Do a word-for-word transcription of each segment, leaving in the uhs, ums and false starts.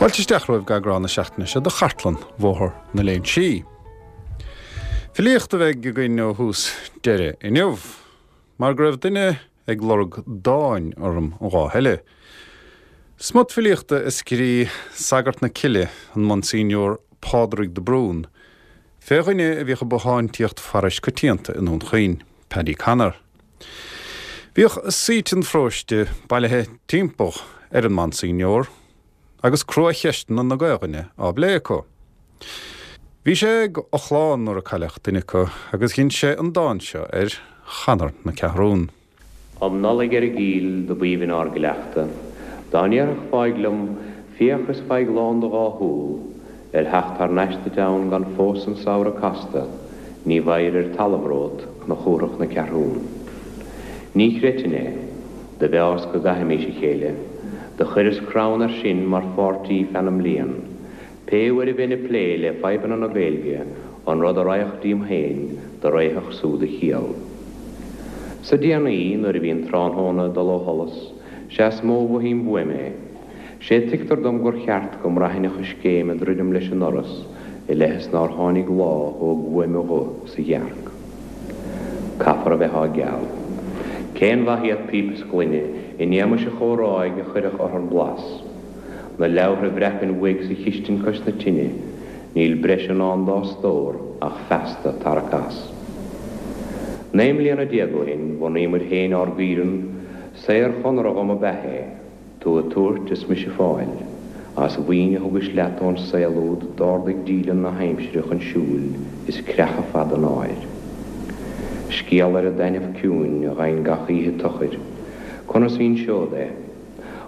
Fáilte isteach romhaibh go eagrán na seachtaine seo de Chartlann Bhóthar na Léinsí. Filíocht a bheidh againn ó thús deireadh inniu, mar go raibh duine ag lorg dáin orm an lá eile. Smut filíochta a scríobh Sagart na Cille an Monsignor Pádraig de Brún, fé dhuine a bhíodh ag bothántaíocht pharóiste coitianta i nDún Chaoin, Paddy Connor. Bhíodh saoit an pharóiste bailithe timpeall ar an Monsignor agus cruacheisteanna na Gaelainne á bplé acu. Bhí sé ag a chlann nuair a cailleadh duine acu agus dhein sé an dán seo ar Chonor na Ceathrún. Um Nollaig ar an gCill do b'aoibhinn ár gcleachtadh, dá ndéarfadh fáidh liom, féach is faigh lán do dhá shúl, ar theacht thar n-ais duit ann gan fós an samhradh casta, ní bhfaighir ar talamh romhat Cnoc na Ceathrún. Ní chreidfinn é, do mheás go gcaithfimís a chéile, do chuireas crann air sin mar pháirtí feadh na mblian, pé uair a bheinn ag plé le fadhbanna na Gaeilge, an rud a raghadh díom féin do réitheach súd a chiall. Sa déanaí nuair a bhí an tráthnóna ag dul ó sholas, sea is mó mhothaím uaim é. Sé tuigtear dom gur cheart go mbraithfinn a choiscéim ag druidim leis an ndoras i leith is nár tháinig lá a thóg uaim a ghuth sa ghearc. Caithfear a bheith á gceal. Cén mhaith iad píopa is gloine in éamais an chomhráidh a chuirfeadh orthar blas. Na leabhartha a bhreacainn uaidh sa chistin cois na tine, níl breis in ann dá stór ach feasta tarrac as. Naoi mbliana déag ó shin bhunaíomar féin ár gcaoireann, saor-chonradh dhom ab ea é, tú ag tabhairt is mise ag fáil, as mhaoin a thugais leat ón saol úd d'ardaigh díleann na haimsire chun siúil is creachadh fada an áir. Scéal ar an dtaitneamh ciúin a gheibhinn gach oíche tochair, conas inseod é?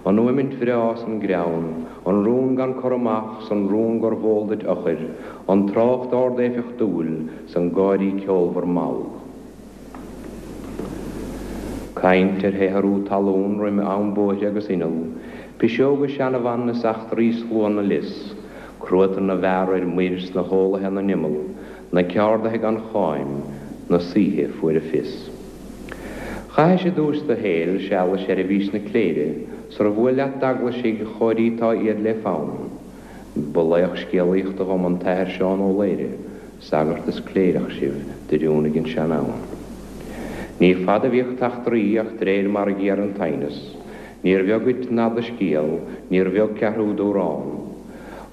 An fhuaimint bhreá 's an greann, an rún gan cur amach 's an rún gur bh'eol duit eochair, an trácht ard-éifeachtúil 's an gáirí ceolmhar mall. Caint ar shaothrú talún roim am bóithre agus inneall, piseoga seanabhan is eachtraí slua na lios, cruatan na bhfear ar muir 's na heolaithe na n-imeall, na ceardaithe gan cháim, na saoithe fuair a fios. Chaithis i dtús do shaoil seal i seirbhís na cléire, sar bhuail leat d'eaglaisigh chóirítá iad le fonn. Ba laoch scéalaíochta dhom an t-athair Seán Ó Laoire, sagart is cléireach sibh d'oiriúnaigh an sean-fhonn. Ní fada a bhíodh t'eachtraí ach d'réir mar a ghéar an t-aighneas, níor bheag dhuit nath do scéal, níor bheag ceathrú d'amhrán.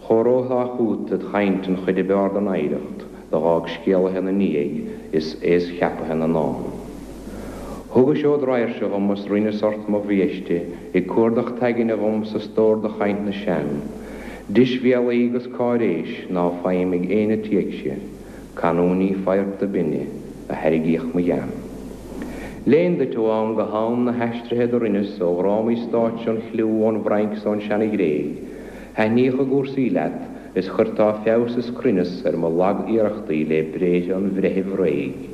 Chomhaireofá chút id chaint an chuid ab fhearr den oidhreacht do dh'fhág scéalaithe na ndiaidh is aos cheapaithe na ndán. Thugais ód raidhse dhom is rinneas ort mo bhiaiste ag cuardach t'aigne dhom sa stór de chaint na sean, deisbhéalaí agus cáiréis ná faighim ag éinne téicse, canúintí faghairt binne a thairgíodh mo ghean. Léinn duit ó am go ham na haistrithe do rinneas ó dhrámaí stáitse an chliú ón bhFrainc 's ón Seana-Ghréig, thaitníodh a gcúrsaí leat is chuirteá feabhas is cruinneas ar mo lag-iarrachtaí le bréithre an bhreithimh réidh.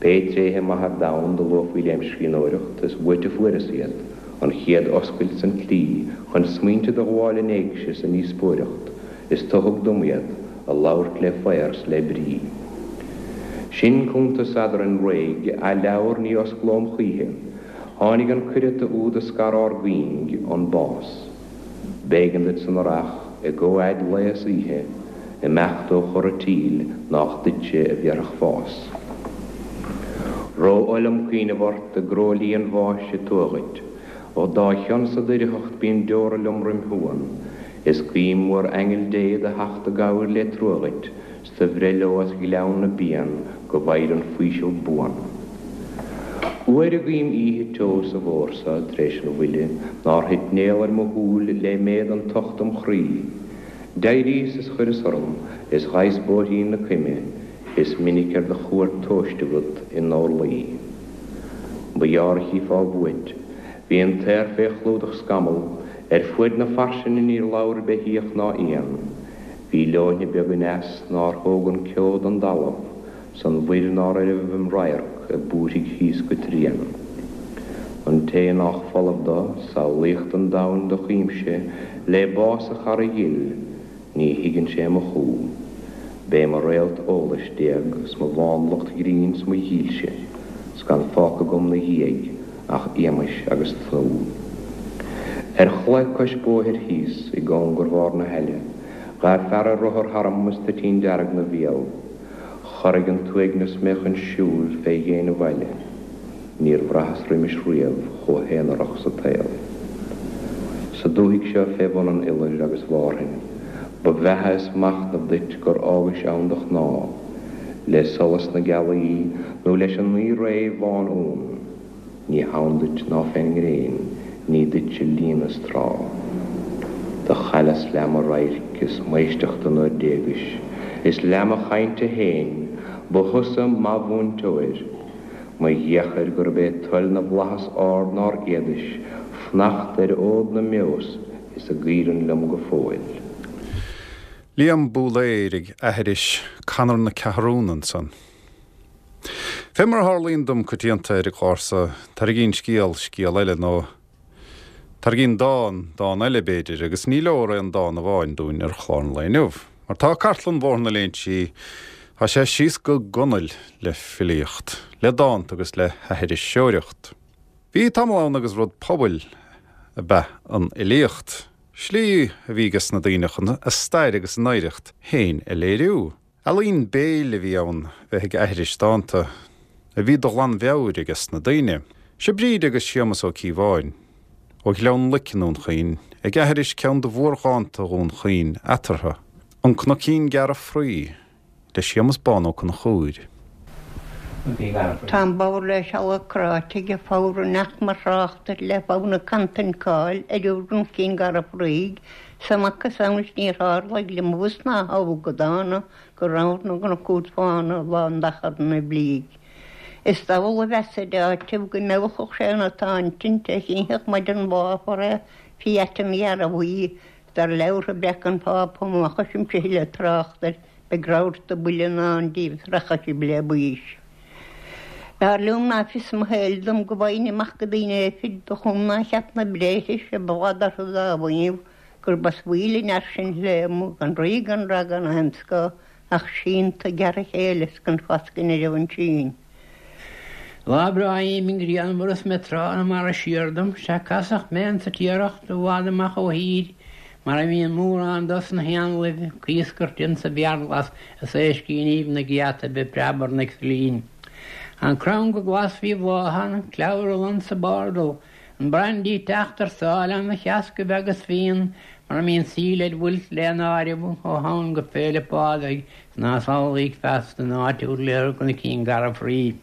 Pé tréithe maithe ar domhan do luafaí lem scríbhneoireacht is uait a fuaireas iad, an chéad oscailt 's an tslí chun smaointe do ghabháil in éigse sa ndíospóireacht, is tu thug dom iad, a labhairt le faor 's le brí. Sin cuntas eadrainn réidh, a leabhar ní osclóm choíche, tháinig an cuireata úd a scar ár gcuing, an bás. B'éigean duit san earrach, i gcomhfhad lae is oíche, imeacht ó chora tíl nách duitse a bhéarfadh fás. Ró-oth liom cuimhneamh ort i gcróilí an bháis a tuath dhuit, ó dá chionn sa doircheacht bíonn deora liom roim shuan, is guím uair aingeal Dé do theacht i gcabhair le trua dhuit, 's do bhreith leo as ghleann na bpian go bhfaighir an faoiseamh buan. Uair a guím oíche teo sa bhfómhar so tar éis an bhuille nár thit néal ar mo shúil le méad an tocht im chroí, d'éiríos is chuireas orm is ghabhas bóithrín na coime, is minic ar do chuairt tomhaiste agat i ndorluí. Ba ghearr a chífeá uait, bhí an t-aer fé chlúdach scamall, ar fuaid na fairsinge níor labhair beithíoch ná éan. Bhí leoithne beag aneas nár thóg an ceo don dtalamh, 's an mhuir nár oirbh im radharc ag búirthigh thíos go tréan. An té nách folamh do, samhlaíocht an domhain do chuimse, le bás a chara dhil, ní thuigeann sé mo chú. B'é mo réalt eolais d'éag 's mo mhánlucht ghrinn 's mo dhílse, 's gan fágtha agam 'na dhiaidh ach éamais agus tnúth. Ar chlaí cois bóthair thíos i gcóngar bharr na haille, ghabh fear ar rothar tharam is toitín dearg 'na bhéal. Chorraigh an t-uaigneas mé chun siúil fé dhéin an bhaile. Níor bhraitheas roimis riamh chomh haonarach sa tsaol. Sa dúthaigh seo fé bhun an iolair agus Mhárthain, ba bheatha is machnamh duit gur fhágais ann do chnámh, le solas na gealaí nó leis an naoi ré bhán-uan. Ní hann duit ná fén ngréin, ní duitse líon is trá. Do chailleas leath mo radhairc is m'éisteachta nuair d'éagais, is leath mo chainte féin, ba thusa mo mhúinteoir. Mo dheochair gurb é toil na bhflaitheas ard nár fhéadais fanacht ar fhód na mbeos is a gcaoireann liom go fóill. Liam Búlaeir ag aithris Conair na Ceathrún ansan. Fé mar a tharlaíonn dom coitianta ar an gclár so, tarraingíonn scéal scéal eile nó tarraingíonn dán dán eile b'fhéidir, agus ní leor aon dán amháin dúinn ar chlár an lae inniu. Mar tá cartlann Bhóthar na Léinsí, tá sé síos go gunail le filíocht, le dánta agus le haithriseoireacht. Bhí tamall ann agus rud pobail ab ea an fhilíocht. Slí a bhí ages na daoine chun a stair agus a n-oidhreacht féin a léiriú. Ealaín béil a bhí ann bheith ag aithris dánta, a bhí de ghlanmheabhair ages na daoine. Seo Bríd agus Séamus Ó Cíobháin, ó Ghleann Loic i nDún Chaoin, ag aithris ceann de mhórdhánta Dhún Chaoin eatarthu, An Cnoicín Gearra Fraoigh, le Séamus Bán Ó Conchúir. Tá an bodhar le seala cráite ag fabhar nach mar thráchtar le fonn cantain cáil ar an gCnoicín Garbh Fraoigh 's a macasamhail níor tharlaigh le bus ná thogh go dána go raibh na gcnoc úd fána lán d'achar na blíg. Is diabhal a mheas ar áiteamh go mbeadh sé ina táintint a chinnfeadh maidin bháfar é fí aiteann ghearrbhuí dar leabhartha breac an Phápa má choisimse thuilleadh trácht air beidh rabharta buile in ann díobh is rachaidh sibh le baois. B'fhearr liom ná fios mo shaoil dom go bhfaighinn amach go daoine fir do chum ná cheap na bréithre a ba bhfad orthu dá mhaíomh gurb as bhaoil an fhear sin léimeadh gan rí gan rath gan aon scáth ach sínte gearra chéile is gan fascadh ina raibh ansin. Lá breá aoibhinn grianmhar is mé tráth na mara siar dom, sea casadh mé insa Tiaracht i bhfad amach ó thír, mar a bhíonn mórán dos na héanlaibh ag iascairt insa bhfiarghlas is éiscíníbh na gceataibh ag preabarnaigh sa linn. An crann go glas faoi bhláth ann, an clumhar lon sa bpardal, an brandy ag teacht ar sáile ina sheascaibh agus fíon, mar a mbíonn síol ar bhfuil lena áireamh ó Shamhain go Féile Pádraig 's ná samhlaigh feasta an áit úd le Cnoicín Garbh Fraoigh.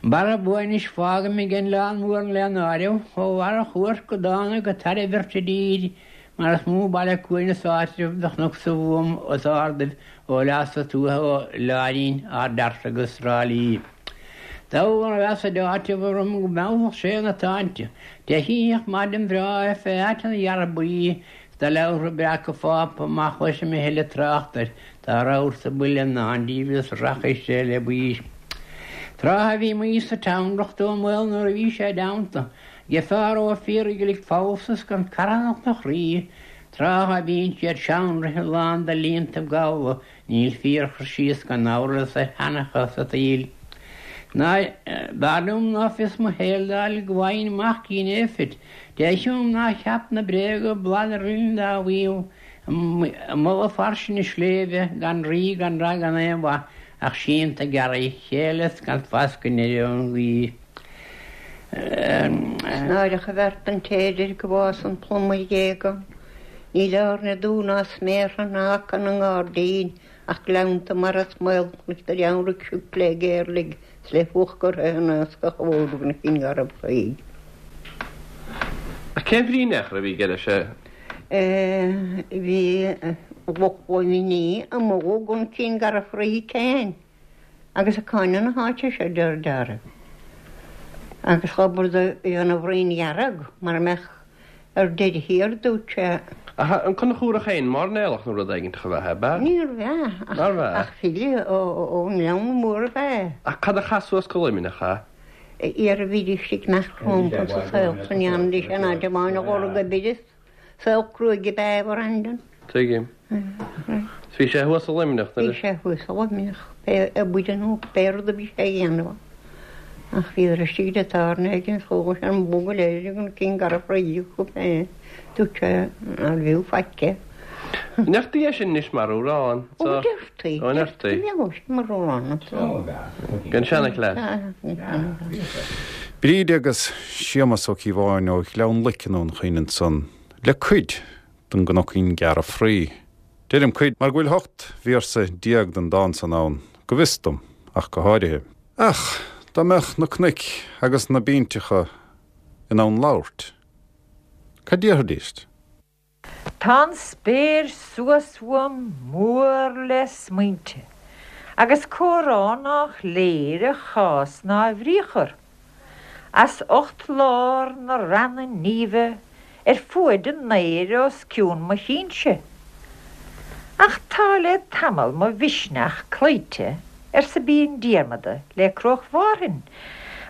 Barra buainis fágaim ag an Oileán Mór lena áireamh ó Bharra Chuairc go Dána go Tairbhirt i dtír, mar is mó baile cuain is áitreabh de chnoc sa Mhúm os ardaibh ó leasa tuaithe ó Láirín, Ard Fhearta agus Trá Lí. Diabhal a mheas a d'áiteamh orm go mbeadh sé ina táinte, de shítheach maidin bhreá fé aiteann ghearrbhuí 's do leabhartha breaca Phápa má chloisim a thuilleadh trácht air, tá rabharta buile i ndán díobh is rachaidh sé le baois. Tráth a bhí Maois sa Teamhrach ón mbaol nuair a bhí sé i dteannta ag fear ó Fíorghlic falsa 's gan carthanacht 'na chroí, tráth a bhíonn siad seanraithe lán de líontaibh gabhla, níl fíorchur síos gan amhras ar sheanchas an tsaoil. Ná b'fhearr liom ná fios mo shaoil d'fháil go bhfaighinn amach cén éifeacht, Dé chiúin ná cheap na bréaga bladar linn dá mhaíomh, i mullach fairsinge sléibhe, gan rí gan rath gan aon mhaith ach sínte gearra chéile 's gan fascadh ina raibh an ghaoth. Is náireach an bheart an té a deir go bhfásann pluma ar ghéag ann. Níl airne dubh ná sméartha ná aca ina ngairdín ach gleannta mara is maolchnoic de reannraigh sioc le géarlaigh 's le fuacht curtha in iascach a bhóthar na Cinn Garbh Fraoigh. Ach cén bhrí in aon chor a bhí aige leis? Bhí Lochlannaigh amuigh ó gCnoicín Garbh Fraoigh féin agus ag cáineadh na háite seo de réir dealraimh. Agus dh'obair do dhéanamh bhroinn dhearg mar a mbeadh ar deireadh thiar, dúirt sé. Ach an Conchúrach féin, mairnéalach nó rud éigin a bheadh, ab ea? Níorbh ea, Nárbh ea? ach file ón nGleann Mór ab ea. Ach cad a chaith suas go Luimneach é? Iar a bhídís ag imeacht rompu sa saol san dheanfaidís an áit amháin a dhul go Biris, saol cruaidh ab ea Bhreandan. Tuigim. Bhí sé thuas i Luimneach Bhí sé thuas i Luimneach, pé obair nó pé rud a bhí sé a dhéanamh. Ach bhíodar istigh le tairne éigin is chuaigh an bó go léir ag an cinn garbh fraoigh acu féin. Dúirt sé nár bhfiú faic é. An ndeirtí é sin anois mar amhrán? Ó, deirtí. Ó, ndeirtí. Bhíodh sin mar amhrán anso. Den seanchleas. Bríd agus Séamas Ó Cíobháin ó Ghleann Loic i nDún Chaoin ansan le cuid den gCnocín Gearr Fraoigh. Deirim cuid mar go bhfuil ocht véarsa déag den dán san ann, go bhfios dom, ach go háirithe. Ach dá mbeadh na cnoic agus na bínteacha in ann labhairt, cad déarfaidís? Tá an spéir suas uaim mór le smaointe, agus comhrá nách léir a chás ná a bhriathar, as ucht lár na reanna nímhe ar fuaid an aeir os cionn mo chinnse. Ach tá le tamall mo mhisneach cloíte, arsa Bean Diarmada le Cruach Mhárthain,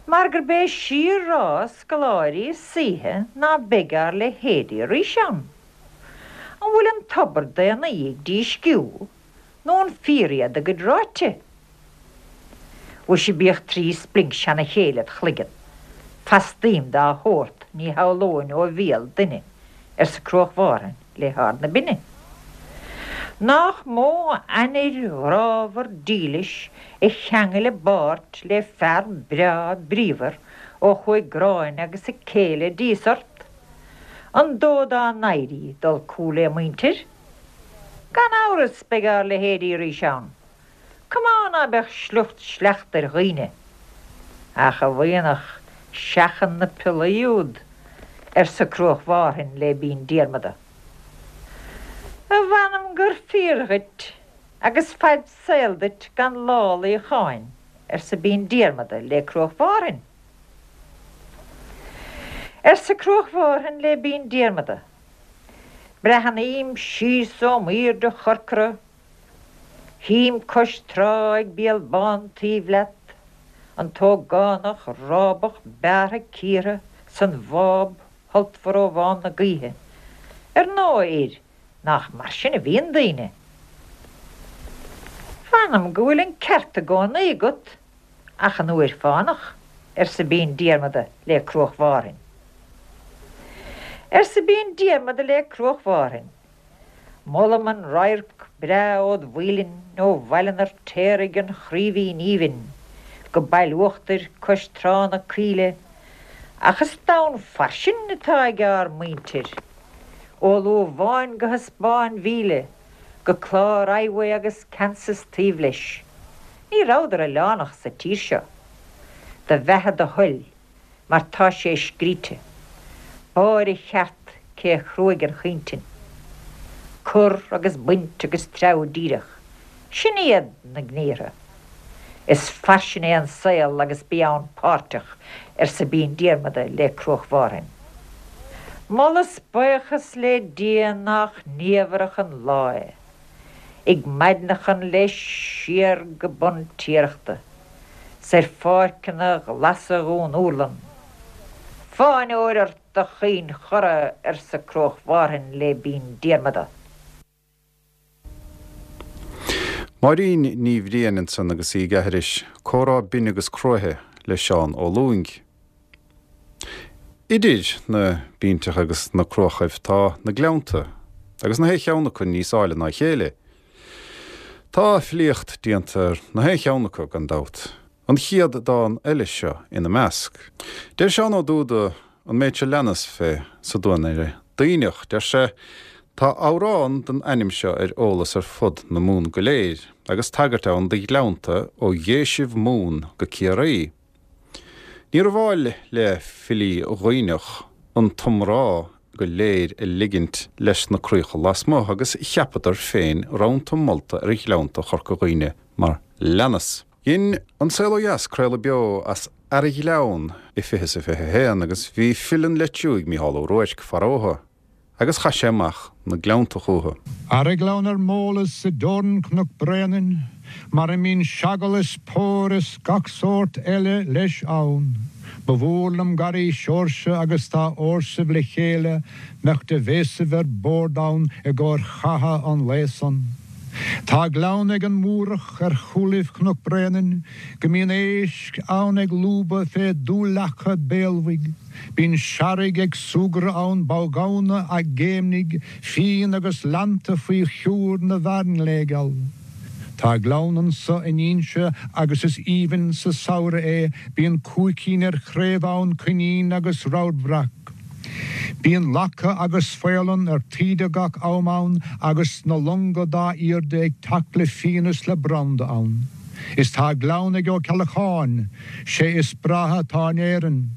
mar gurb é síor-rá scoláirí is saoithe ná beidh ár leithéidí arís ann. An bhfuil an tobar daonnaí ag dísciú, nó an fíor iad a gcuid ráite? Mhuise bíodh trí splinc seana chéile id chloigeann. Fastaím dá shórt ní shamhlóinn ó bhéal duine, arsa Cruach Mhárthain le hArd na Binne. Nach mó ainnir ghrámhar dílis a cheangail a bpáirt le fear breá bríomhar ó chuaigh Gráinne agus a céile dís ort? An dóigh dá n-éirí dul cúl lé muintir? Gan amhras beidh ár leithéidí arís ann. Cumá ná beadh sliocht sleachta ar dhaoine. Ach a bhuíonach, seachain na piollaí úd, arsa Cruach Mhárthain le Bean Diarmada. A mh'anam gur fíor dhuit, agus fad saoil duit gan lá luíocháin, arsa Bean Diarmada le Cruach Mhárthain. Arsa Cruach Mhárthain le Bean Diarmada, Breathnaím síos ó m'aoirde chorcra, Tchím cois trá ag Béal Bán taobh leat, an t-ógánach rábach bearrtha cíortha san bháb shultmhar ó bhán na gaoithe. Ar ndóigh, a fhir, nach mar sin a bhíonn daoine? Mh'anam go bhfuil an ceart i gcónaí agat, ach an uair fánach, arsa Bean Diarmada le Cruach Mhárthain. Arsa Bean Diarmada le Cruach Mhárthain, Molaim an radharc breá ód mhuilinn ó Bhaile an Fheirtéaraigh an Chraoibhín Aoibhinn go Baile Uachtair cois trá na Caoile, ach is domhan fairsing atá ag ár muintir, ó Lúbháin go hEaspáin Mhíle, go clár Iowa agus Kansas taobh leis. Ní rabhadar oileánach sa tír seo. Do bheatha do thoil, mar tá sé scríte. Báire cheart cé a chruaigh an chuintinn. Cur agus baint agus treabhadh díreach. Sin iad na gníortha. Is fairsing é an saol agus bí ann páirteach, arsa Bean Diarmada le Cruach Mhárthain. Moladh 's buíochas le Dia nach niamhrach an lá é, ag maidneachan leis siar go bun Tiarachta, 's ar pháirceanna glasa Dhún Úrlann. Fáinneoir ort a chaoin chorra, arsa Cruach Mhárthain le Bean Diarmada. Máirín Ní Bhriain ansan agus í ag aithris comhrá binn agus cruaithe le Seán Ó Lúing. Idir na bínteacha agus na cruachaibh tá na gleannta, agus na haon cheann acu níos áille ná a chéile. Tá filíocht déanta ar na haon cheann acu gan dabht, an chéad dán eile seo ina measc. Deir Seán Ó Dúda an méid seo leanas fé sa duanaire Duibhneach, deir sé, Tá amhrán den ainm seo ar eolas ar fud na Mumhan go léir, agus tagairt ann do ghleannta ó Dhéisibh Mumhan go Ciarraí. Níorbh áil le filí Dhuibhneach an t-iomrá go léir a ligint leis na críocha lasmuigh agus cheapadar féin rannta molta ar ghleannta Chorca Dhuibhne mar leanas. Dhein An Saol Ó Dheas craoladh beo as Earra-Ghleann i fiche is a fiche a haon agus bhí file an Leitriúigh Mícheál Ó Ruairc faraotha agus chaith sé amach na gleannta chucu. Earra-Ghleann ar m'eolas i dteorainn Chnoc Bréanainn, mar a mbíonn seagal is pór is gach sórt eile leis ann. Ba mhór liom garraí Seoirse agus dá fhórsaibh le chéile mbeadh de bhéasaibh ar bord ann i gcomhair chatha an lae san. Tá gleann ag an Múrach ar chúlaibh Chnoc Bréanainn, go mbíonn éisc ann ag lúbadh fé dúleaca béalbhaigh. Bíonn searraigh ag súgradh ann, boghamhna á gcéimnigh, fíon agus leannta faoi shiúr na bhfearnghléigeal. Tá gleann anso in Inse agus is aoibhinn sa samhradh é, bíonn cuaicín ar chraobh ann, coinín agus ramharbhreac. Bíonn lacha agus faoileán ar taoide gach am ann agus na longa dá airde ag teacht le fíon is le branda ann. Is tá gleann ag Ó Ceallacháin, sé is breátha atá in Éirinn.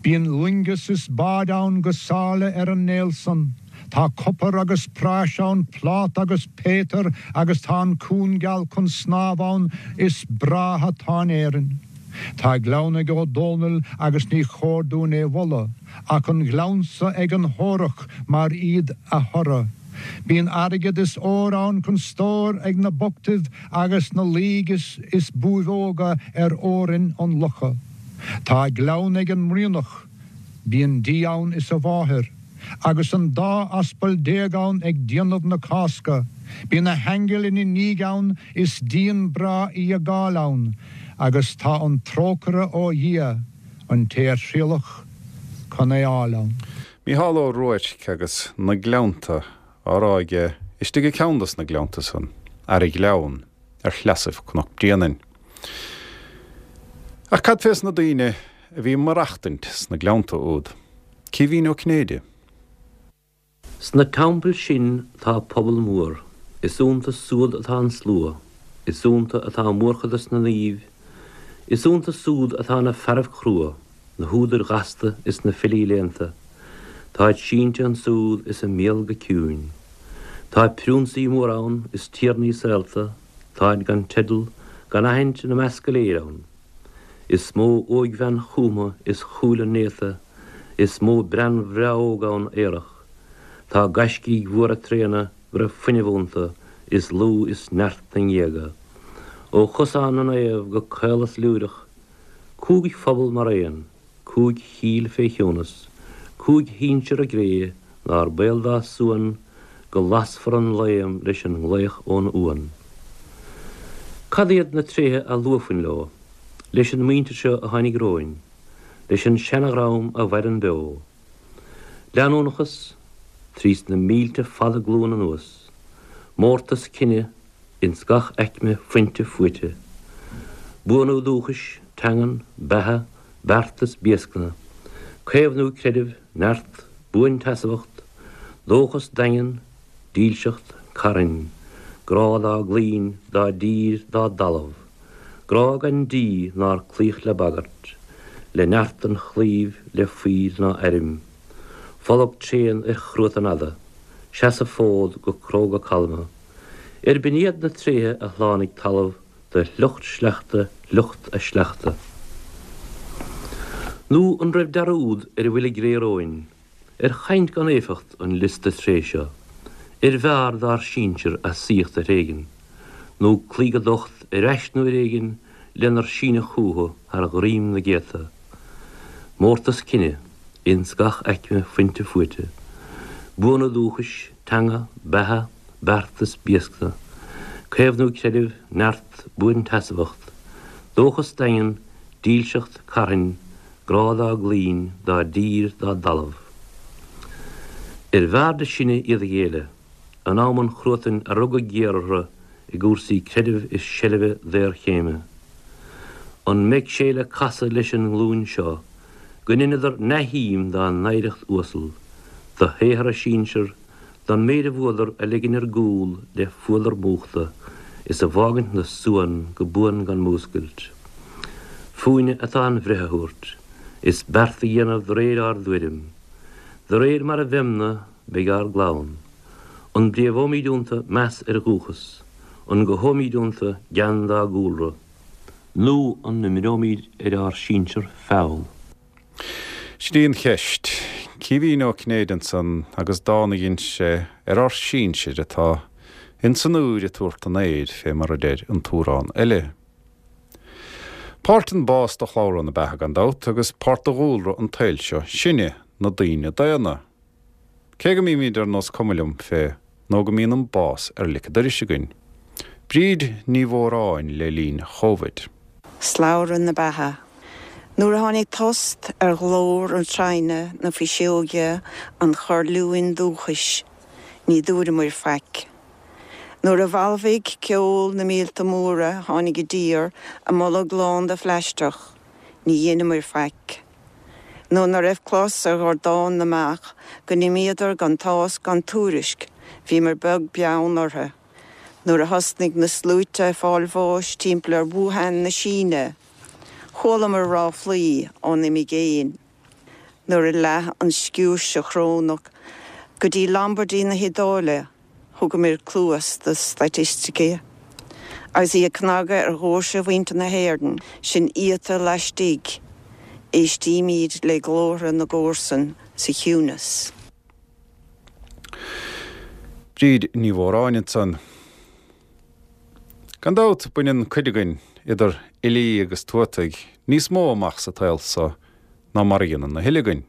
Bíonn loingeas is báid ann go sáile ar an néal san. Tá copar agus práis ann, pláta agus péitir agus tá an cuan geal chun snámh ann is breátha atá in Éirinn. Tá gleann ag Ó Dónaill agus ní chóir dúinn é mholadh, ach an gleannsa ag an hÓrach mar iad a thoradh. Bíonn airgead is ór ann chun stóir ag na bochtaibh agus na laoigh is is buaibheoga ar fheorainn an locha. Tá gleann ag an mBrianach, bíonn Dia ann is a mháthair, agus an dá aspal déag ann ag déanamh na Cásca. Bíonn na haingil ina ndiaidh ann is díon breá í a gcáil ann, agus tá an trócaire ó Dhia, an té a thriallfadh chun é fháil ann. Mícheál Ó Ruairc agus na Gleannta á rá aige istigh i gceann dos na gleannta san, Aireghleann, ar shleasaibh Chnoc Bréanainn. Ach cad fés na daoine a bhí maireachtaint sna gleannta úd? Caoimhín Ó Cinnéide. Sna teampaill sin tá pobal mór, is iontu súd atá an slua, is iontu atá mórchuid na naomh, is iontu súd atá na fearaibh crua, na húdair ghasta is na filí léannta. Táid sínte ansúd is a mbéal go ciúin. Tá priúnsaí móra ann is tiarnaí saolta, táid gan teideal, gan aithint ina measc go léir ann. Is mó óigbhean chúmtha is chúile néata, is mó bean bhreá óg ann aerach. Tá gaiscígh mhóra tréana go raibh fuinneamh iontu is lúth is neart na ngéaga. Ó Chosán na Naomh go Caolas Lúireach, cúig phobal mar aon, cúig chill fé chiúnas, cúig shinsir a gcré nár baol dá suan go lasfar an léim leis an nglaoch ón uan. Cad iad na tréithe a luafainn leo, leis an muintir seo a tháinig romhainn, leis an seanadhream a mhaireann beo? Leanúnachas, trí na mílte fada glún anuas, mórtas cine ins gach aicme fuinte fuaite, buanú dúchais, teangan, beatha, beartas, béascna, caomhnú creidimh, neart, buansheasmhacht, dóchas daingean, dílseacht, carthainn, grá dá gclaínn, dá dtír, dá dtalamh, grá gan díth nár cloíodh le bagairt, le neart an chlaímh, le fuíll ná airm, folag tréan ar chruatan fhada, seasamh fód go cróga calma, ar b'in iad na tréithe a shlánaigh talamh do shliocht sleachta shliocht a sleachta. Nó an raibh dearúd ar a bhfuil i gcré romhainn, ar chaint gan éifeacht an liosta tréith seo, ar bhfearr dár sinsir a saíocht a thréigean, nó cloí go docht ar ais nó ar éigean lenar síneadh chucu thar dhroim na gcéadta. Mórtas cine, ins gach aicme fuinte fuaite. Buanú dúchais, teanga, beatha, beartas, béascna. Caomhnú creidimh, neart, buansheasmhacht. Dóchas daingean, dílseacht, carthainn, grá dá gclaínn, dá dtír, dá dtalamh. Ar bhfearrde sinne iad a ghéilleadh, in am an chruatain a rugadh géar orthu i gcúrsaí creidimh is seilbhe daorchéime. An mbeidh sé le casadh leis an nglúin seo go ndeineadar neamhshuim dá n-oidhreacht uasal, de shaothar a sinsear, don méid a bhuadar a ligean ar gcúl le fuadar múchta is a bhfágaint 'na suan go buan gan múscailt. Fúinne atá an bhreith a thabhairt, is beart a dhéanamh de réir ár dtuairim. De réir mar a bheimne, beidh ár gclann. An bpréamhóimid iontu meas ar dhúchas? An gcothóimid iontu gean dá gcúlra? Nó an imreoimid ar ár sinsir feall? Sin í an cheist. Caoimhín Ó Cinnéide ansan agus dán a dhein sé ar ár sinsir atá ins an úir ag tabhairt an aeir fé mar a deir an t-amhrán eile. Páirt den bás de shlabhra na beatha gan dabht agus páirt de dhúlra an tsaoil seo sinne, na daoine daonna. Cé go mbímid ar nós cuma liom fé nó go mbíonn an bás ar lic an dorais againn. Bríd Ní Mhóráin le linn Chovid. Slabhra na beatha. Nuair a tháinig tost ar ghlór an tsaighne na fuiseoige an chorrliúin dúchais, ní dúramar faic. Nuair a bhalbhaigh ceol na míolta móra tháinig i dtír a mbolg lán de phlaisteach, ní dhéanamar faic. Nó ná raibh clos ar dhordán na mbeach go n-imíodar gan tásc gan tuairisc, bhíomar beag beann orthu. Nuair a thosnaigh na sluaite ag fáil bháis timpeall ar Wuhan na Síne, chualamar ráflaí ón imigéin. Nuair a leath an sciúirse chrónach go dtí Lombardy na hIodáile, thugamar cluas do staitisticí. Agus í ag cnagadh ar dhoirse mhuintir na hÉireann, sinn iata laistigh, éistímid le glórtha na gcomharsan sa chiúnas. Bríd Ní Mhóráin ansan. Gan dabht baineann cuid againn idir fhilí agus tuataigh níos mó amach sa tsaol so ná mar a dhéanann a thuilleadh againn.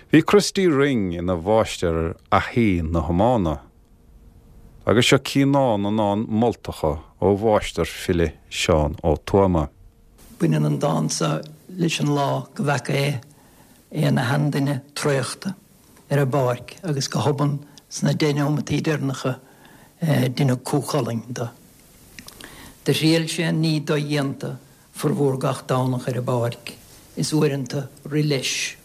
Bhí Christy Ring ina mháistir ar fhathaí na hiomána, agus seo cíonán na ndán moltacha ó mháistir file Seán Ó Tuama. Baineann an dán seo leis an lá go bhfaca é é ina sheanduine traochta ar an bpáirc agus go hobann sna deich neomataí deireanacha deineadh Cú Chulainn de. Do thriail sé an ní dodhéanta formhór gach Domhnach ar an bpáirc, is uaireanta rith leis.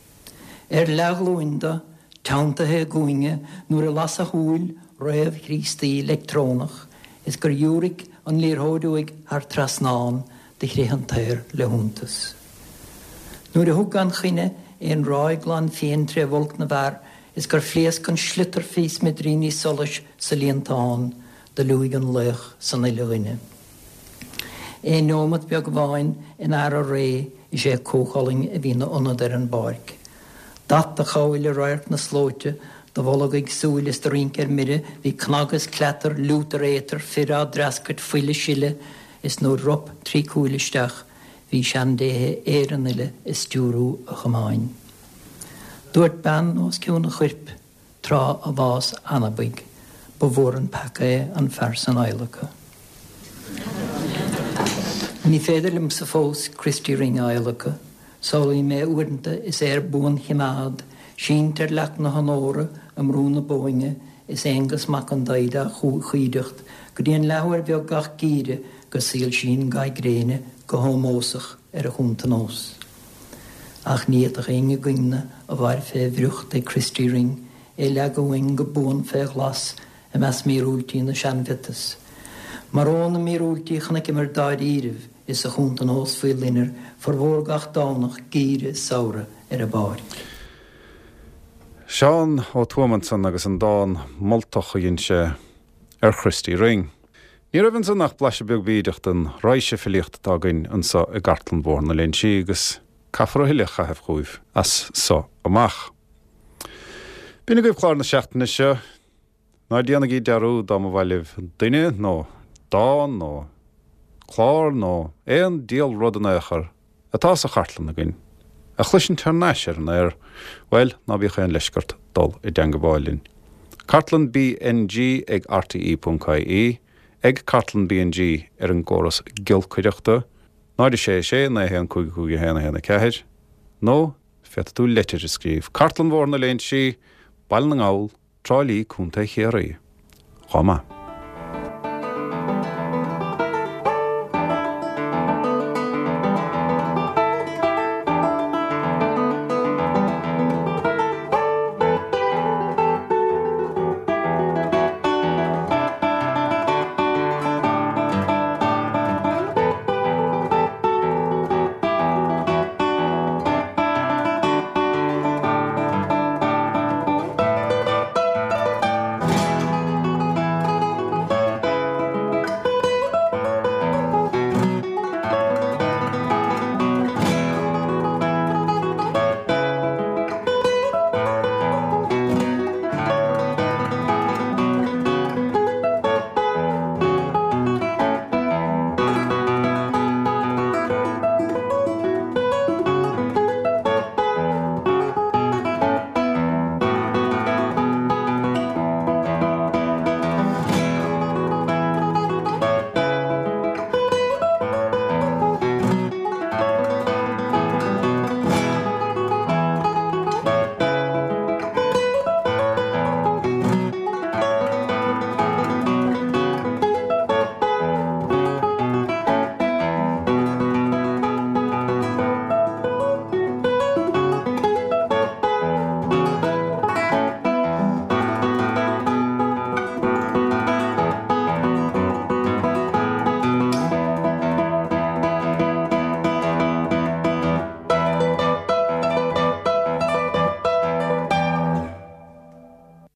Ar leathghlúin de, teanntaithe i gcúinne nuair a las a shúil réamh-Chríostaí leictreonach is gur dhiúraic an liathróid uaidh thar trasnán do chrith an t-aer le hiontas. Nuair a thug gan choinne é an ráig glan fiáin tré bhulc na bhfear is gur phléasc an sliotar faoi smidiríní solais sa líontán, do liúigh an laoch san uile dhuine. Aon neomat beag amháin in earra ré is é Cú Chulainn a bhí ina ionad ar an bpáirc. Dath do chabhail i radharc na slóite, do bholg ag súil is do rince ar mire, bhí cnag is cleatar, liútar éatar, fir á dtreascairt, fuil ag sileadh, is nuair rop trí cúil isteach, bhí seandéithe Éireann uile ag stiúrú a chamáin. Dúirt bean os cionn a choirp tráth a bhás anabaigh, ba mhór an peaca é an fear san adhlacadh. Ní féidir liomsa fós Christy Ring a adhlacadh, samhlaím é uaireanta is é ar buanchoimeád, sínte ar leac na honóra i mBrú na Bóinne is Aonghus Mac an Daghda á chuideacht go dtí an leathuair bheag gach geimhreadh go soilsíonn ga gréine go hómósach ar a chuntanós. Ach ní fhéadfadh éinne againne a mhair fé bhriocht ag Christy Ring é leagadh uainn go buan fé ghlas i measc míorúiltí na seanmhiotas. Mar ó na míorúiltí chonaiceamar dáiríribh is a chuntanós faoi loinnir formhór gach Domhnach geimhreadh is samhradh ar an bpáirc. Seán Ó Tuama ansan agus an dán moltach a dhein sé ar Christy Ring. Ní raibh ansan ach blaiseadh beag bídeach den raidhse filíochta atá againn anso i gcartlann Bhóthar na Léinsí agus caithfear a thuilleadh a chaitheamh chugaibh as so amach. B'in agaibh clár na seachtaine seo. Ná déanaigí dearúd dá mba mhaith libh duine nó dán nó clár nó aon diabhal rud in aon chor atá sa chartlann againn a chloisint thar n-ais ar an aer, bhuel, ná bíodh aon leisce ort dul i dteangabháil linn. Cartlann B N G ag R T E ponc I E, ag Cartlann B N G ar an gcóras giolcaireachta, náid a sé sé naoi a haon cúig cúig a haon a haon a ceathair, nó féadfaidh tú leitir a scríobh. Cartlann Bhóthar na Léinsí, Baile na nGall, Trá Lí, Contae Chiarraí. Chomh maith.